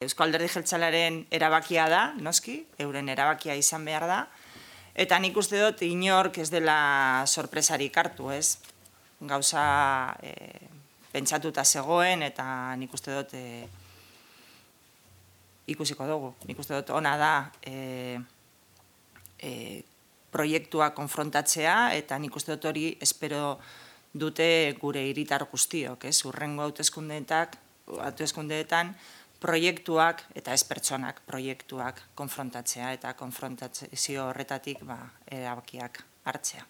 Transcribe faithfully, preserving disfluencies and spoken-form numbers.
Eusko Alderdi Jeltzalearen erabakia da, noski, euren erabakia izan behar da, eta nik uste dut inork ez dela sorpresarik hartu, ez? Gauza e, pentsatuta zegoen, eta nik uste dut e, ikusiko dugu. Nik uste dut ona da e, e, proiektua konfrontatzea, eta nik uste dut hori espero dute gure hiritar guztiok, ez? Hurrengo hauteskundeetan, hauteskundeetan proiektuak eta ez pertsonak proiektuak konfrontatzea eta konfrontazio horretatik erabakiak hartzea.